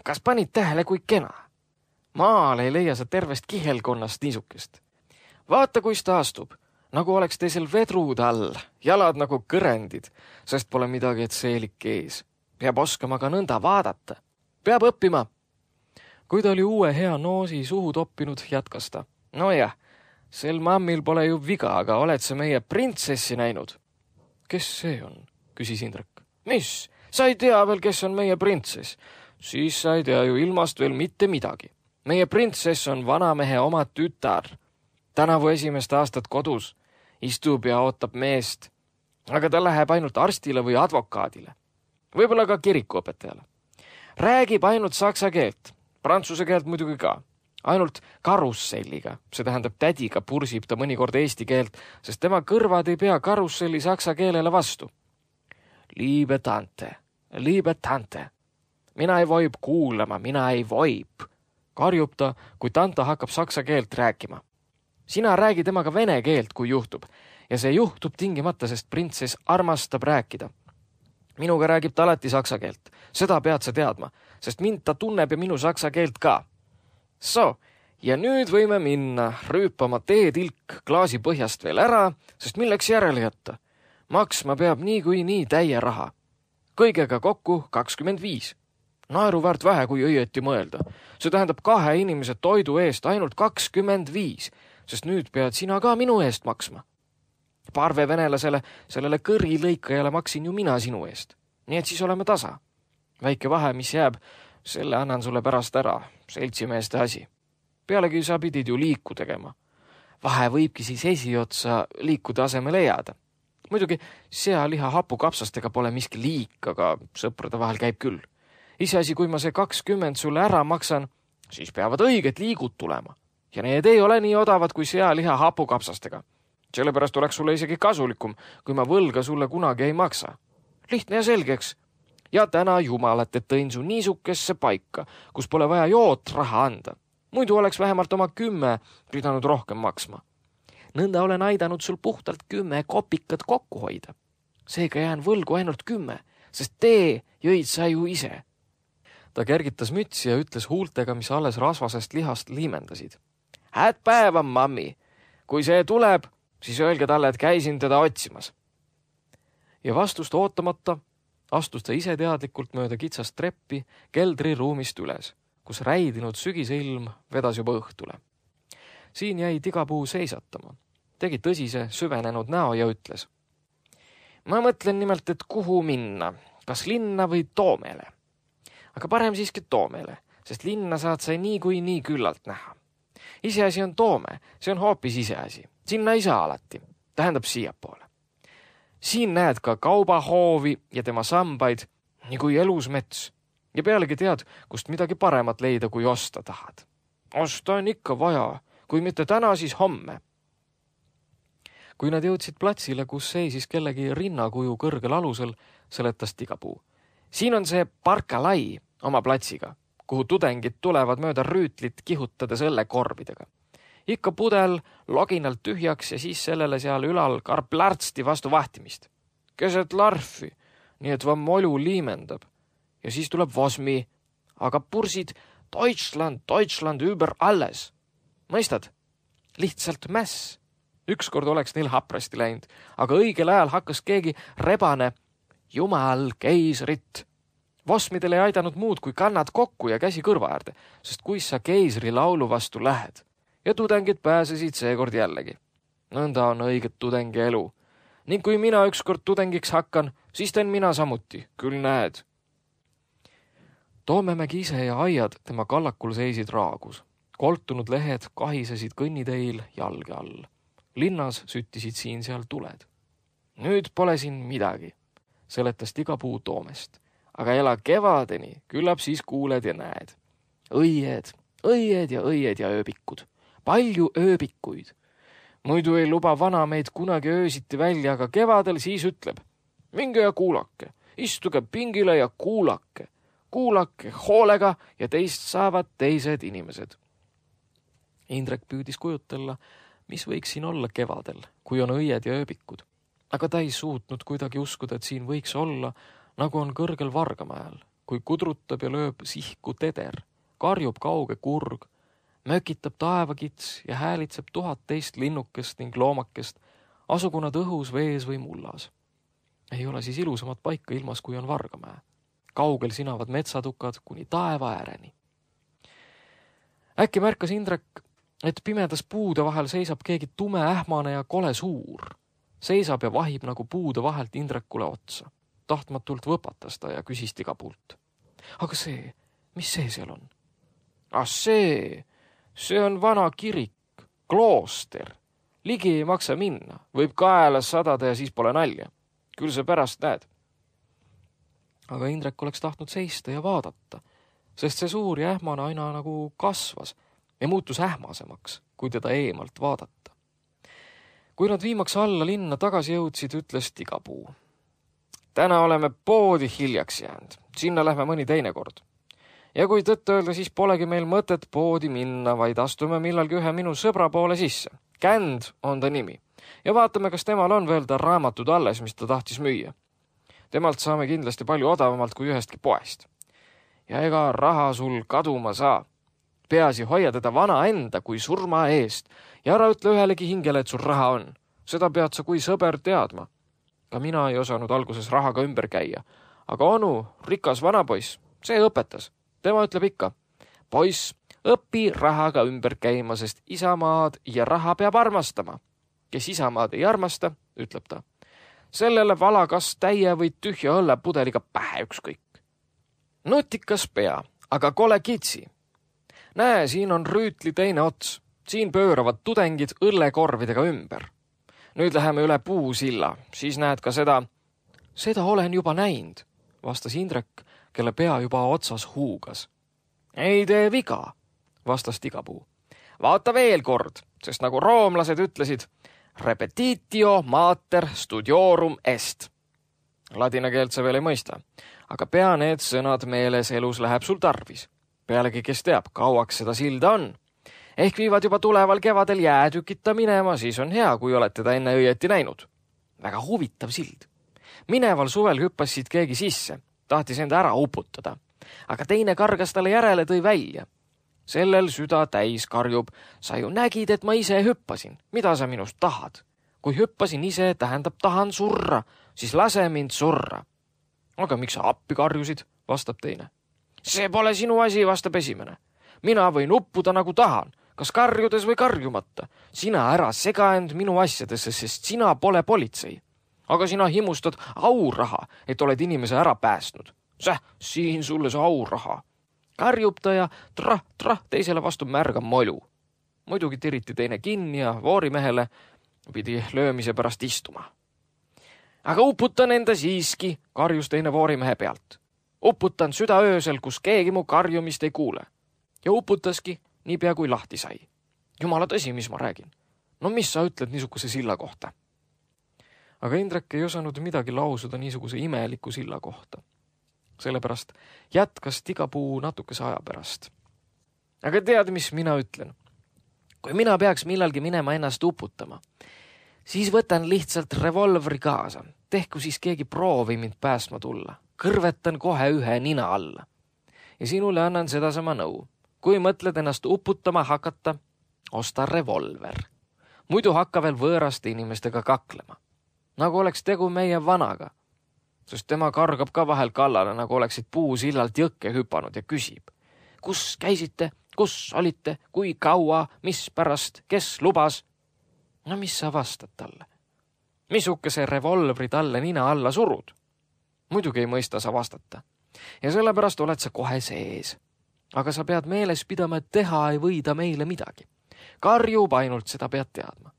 Kas panid tähele, kui kena? Maal ei leia sa tervest kihelkonnast niisukest. Vaata, kuis ta astub, nagu oleks teisel vedrud all, jalad nagu kõrendid, sest pole midagi, et seelik ees. Peab oskama ka nõnda vaadata. Peab õppima. Kui ta oli uue hea noosi suhu toppinud, jätkas ta. No jah, sel mammil pole ju viga, aga oled sa meie printsessi näinud? Kes see on? Küsis Indrek. Mis? Sa ei tea veel, kes on meie printsess? Siis sa ei tea ju ilmast veel mitte midagi. Meie printsess on vanamehe oma tütar. Tänavu esimest aastat kodus. Istub ja ootab meest. Aga ta läheb ainult arstile või advokaadile. Võib-olla ka kirikuõpetajale. Räägib ainult saksa keelt. Prantsuse keelt muidugi ka. Ainult karusselliga. See tähendab tädiga pursib ta mõnikord eesti keelt, sest tema kõrvad ei pea karusselli saksa keelele vastu. Liebe tante, liebe tante. Mina ei voib kuulama, mina ei voib. Karjub ta, kui tanta hakkab saksa keelt rääkima. Sina räägi temaga vene keelt, kui juhtub. Ja see juhtub tingimata, sest printsess armastab rääkida. Minuga räägib ta alati saksa keelt. Seda pead sa teadma, sest mind ta tunneb ja minu saksa keelt ka. So, ja nüüd võime minna rüüpama teetilk klaasi põhjast veel ära, sest milleks järele jätta? Maksma peab nii kui nii täie raha. Kõigega kokku kakskümmend viis. Naeruväärt vähe, kui õieti mõelda. See tähendab kahe inimese toidu eest ainult kakskümmend viis, sest nüüd pead sina ka minu eest maksma. Parve venelasele, sellele kõrilõikajale maksin ju mina sinu eest. Nii et siis oleme tasa. Väike vahe, mis jääb, selle annan sulle pärast ära, seltsimeeste asi. Pealegi sa pidid ju liiku tegema. Vahe võibki siis esiotsa liikude asemele jääda. Muidugi sealiha hapukapsastega pole miski liik, aga sõprade vahel käib küll. Iseasi, kui ma see kakskümmend sulle ära maksan, siis peavad õiged liigud tulema. Ja need ei ole nii odavad kui sealiha hapukapsastega. Sellepärast oleks sulle isegi kasulikum, kui ma võlga sulle kunagi ei maksa. Lihtne ja selgeks. Ja täna jumalat, et tõin su niisukesse paika, kus pole vaja joot raha anda. Muidu oleks vähemalt oma kümme pidanud rohkem maksma. Nõnda olen aidanud sul puhtalt kümme kopikat kokku hoida. Seega jään võlgu ainult kümme, sest tee jõid sa ju ise. Ta kergitas mütsi ja ütles huultega, mis alles rasvasest lihast liimendasid. Hääd päeva, mammi. Kui see tuleb, siis öelge talle, et käisin teda otsimas. Ja vastust ootamata astus ta ise teadlikult mööda kitsast treppi keldri ruumist üles, kus räidinud sügiseilm vedas juba õhtule. Siin jäi Tigapuu seisatama. Tegi tõsise, süvenenud näo ja ütles. Ma mõtlen nimelt, et kuhu minna, kas linna või Toomele. Aga parem siiski Toomele, sest linna saad sa nii kui nii küllalt näha. Iseasi on Toome, see on hoopis iseasi. Sinna ei saa alati, tähendab siiapoole. Siin näed ka kaubahoovi ja tema sambaid, nii kui elus mets. Ja pealegi tead, kust midagi paremat leida, kui osta tahad. Osta on ikka vaja, kui mitte täna, siis homme. Kui nad jõudsid platsile, kus seisis kellegi rinnakuju kõrgel alusel, seletas Tigapuu. Siin on see Parkalai oma platsiga, kuhu tudengid tulevad mööda rüütlit kihutades õllekorbidega. Ikka pudel loginalt tühjaks ja siis sellele seal ülal karplärtsti vastu vahtimist. Keset larfi, nii et vam molu liimendab. Ja siis tuleb Vosmi, aga pursid Deutschland, Deutschland über alles. Mõistad? Lihtsalt mäss. Ükskord oleks neil haprasti läinud, aga õigel ajal hakkas keegi rebane Jumal keisrit. Vosmidel ei aidanud muud kui kannad kokku ja käsi kõrva äärde, sest kuis sa keisri laulu vastu lähed. Ja tudengid pääsesid seekord jällegi. Nõnda on õiget tudengi elu. Ning kui mina ükskord tudengiks hakkan, siis teen mina samuti, küll näed. Toomemägi ise ja aiad tema kallakul seisid raagus. Koltunud lehed kahisesid kõnniteil jalge all. Linnas süttisid siin-seal tuled. Nüüd pole siin midagi, seletas Tigapuu Toomest. Aga ela kevadeni, küllap siis kuuled ja näed. Õied, õied ja õied ja ööbikud. Palju ööbikuid. Muidu ei luba vana meid kunagi öösiti välja, aga kevadel siis ütleb. Minge ja kuulake, istuge pingile ja kuulake. Kuulake hoolega ja teist saavad teised inimesed. Indrek püüdis kujutella, mis võiks siin olla kevadel, kui on õied ja ööbikud. Aga ta ei suutnud kuidagi uskuda, et siin võiks olla, nagu on kõrgel Vargamäel, kui kudrutab ja lööb sihku teder, karjub kauge kurg, mökitab taevakits ja häälitseb tuhat teist linnukest ning loomakest, asugu nad õhus, vees või mullas. Ei ole siis ilusamat paika ilmas, kui on Vargamäe. Kaugel sinavad metsatukad kuni taeva ääreni. Äkki märkas Indrek, et pimedas puude vahel seisab keegi tume, ähmane ja kole suur. Seisab ja vahib nagu puude vahelt Indrekule otsa. Tahtmatult võpatas ta ja küsis Tigapuult. Aga see, mis see seal on? Ah see, see on vana kirik, klooster. Ligi ei maksa minna, võib kaela sadada ja siis pole nalja. Küll see pärast näed. Aga Indrek oleks tahtnud seista ja vaadata, sest see suur ja ähmane aina nagu kasvas ja muutus ähmasemaks, kui teda eemalt vaadata. Kui nad viimaks alla linna tagasi jõudsid, ütles Tigapuu. Täna oleme poodi hiljaks jäänud, sinna lähme mõni teine kord. Ja kui tõtt öelda, siis polegi meil mõtet poodi minna, vaid astume millalgi ühe minu sõbra poole sisse. Känd on ta nimi. Ja vaatame, kas temal on veel ta raamatud alles, mis ta tahtis müüa. Temalt saame kindlasti palju odavamalt kui ühestki poest. Ja ega raha sul kaduma saa. Peasi hoia teda vana enda kui surma eest ja ära ütle ühelegi hingele, et sul raha on. Seda pead sa kui sõber teadma. Ka mina ei osanud alguses rahaga ümber käia. Aga onu, rikas vanapoiss, see õpetas. Tema ütleb ikka, poiss, õpi rahaga ümber käima, sest isamaad ja raha peab armastama. Kes isamaad ei armasta, ütleb ta. Sellele vala kas täie või tühja õllepudeliga pähe ükskõik. Nutikas pea, aga kole kitsi. Näe, siin on rüütli teine ots. Siin pööravad tudengid õllekorvidega ümber. Nüüd läheme üle puusilla, siis näed ka seda. Seda olen juba näinud, vastas Indrek, kelle pea juba otsas huugas. Ei tee viga, vastas Tigapuu. Vaata veel kord, sest nagu roomlased ütlesid, repetitio mater studiorum est. Ladina keelt sa veel ei mõista, aga pea need sõnad meeles elus läheb sul tarvis. Pealegi, kes teab, kauaks seda silda on. Ehk viivad juba tuleval kevadel jäätükita minema, siis on hea, kui oled teda enne õieti näinud. Väga huvitav sild. Mineval suvel hüppas siit keegi sisse, tahtis enda ära uputada, aga teine kargas talle järele tõi välja. Sellel süda täis karjub, sa ju nägid, et ma ise hüppasin. Mida sa minust tahad? Kui hüppasin ise, tähendab tahan surra, siis lase mind surra. Aga miks sa appi karjusid, vastab teine. See pole sinu asi, vastab esimene. Mina võin uppuda nagu tahan, kas karjudes või karjumata. Sina ära sega end minu asjadesse, sest sina pole politsei. Aga sina himustad auraha, et oled inimese ära päästnud. Säh, siin sulle see auraha. Karjub ta ja trah, trah teisele vastu märga molju. Muidugi tiriti teine kinni ja voorimehele pidi löömise pärast istuma. Aga uputan enda siiski, karjus teine voorimehe pealt. Uputan süda öösel, kus keegi mu karjumist ei kuule. Ja uputaski niipea kui lahti sai. Jumala tõsi, mis ma räägin. No mis sa ütled niisuguse silla kohta? Aga Indrek ei osanud midagi lausuda niisuguse imeliku silla kohta. Sellepärast jätkas Tigapuu natukese aja pärast. Aga tead, mis mina ütlen? Kui mina peaks millalgi minema ennast uputama, siis võtan lihtsalt revolvri kaasa. Tehku siis keegi proovi mind päästma tulla. Kõrvetan kohe ühe nina alla. Ja sinule annan sedasama nõu. Kui mõtled ennast uputama hakata, osta revolver. Muidu hakka veel võõraste inimestega kaklema. Nagu oleks tegu meie vanaga. sest tema kargab ka vahel kallale, nagu oleksid puusillalt jõkke hüpanud ja küsib. Kus käisite, kus olite, kui kaua, mis pärast, kes lubas? No mis sa vastad talle? Misuke see revolvri talle nina alla surud? Muidugi ei mõista sa vastata. Ja sellepärast oled sa kohe sees. Aga sa pead meeles pidama, et teha ei võida meile midagi. Karjub ainult, seda pead teadma.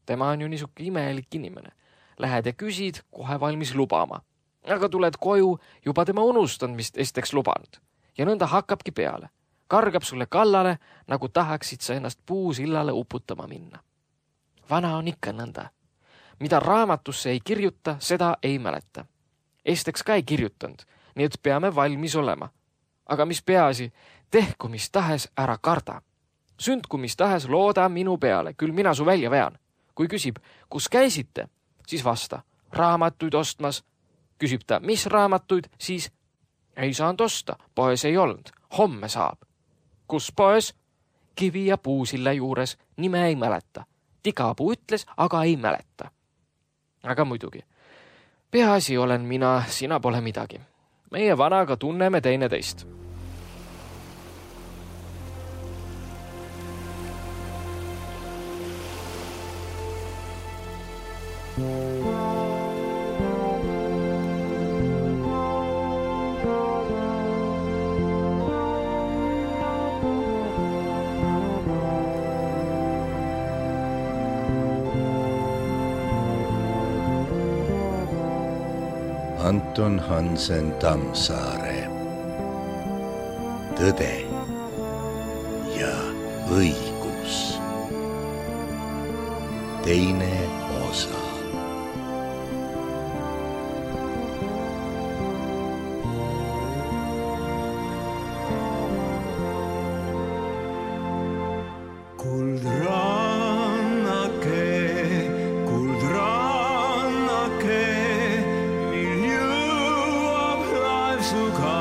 Tema on ju niisuke imelik inimene. Lähed ja küsid, kohe valmis lubama. Aga tuled koju, juba tema unustanud, mis esteks lubanud. Ja nõnda hakkabki peale. Kargab sulle kallale, nagu tahaksid sa ennast puusillale uputama minna. Vana on ikka nõnda. Mida raamatusse ei kirjuta, seda ei mäleta. Esteks ka ei kirjutanud, nii et peame valmis olema. Aga mis peaasi, tehku mis tahes ära karda. Sündku mis tahes looda minu peale, küll mina su välja vean. Kui küsib, kus käisite, siis vasta, raamatuid ostmas. Küsib ta, mis raamatuid, siis ei saanud osta, poes ei olnud, homme saab. Kus poes? Kivi ja puusilla juures, nime ei mäleta. Tigapuu ütles, aga ei mäleta. Aga muidugi, peaasi olen mina, sina pole midagi. Meie vanaga tunneme teine teist. Anton Hansen Tammsaare. Tõde ja õigus. Teine osa. Suka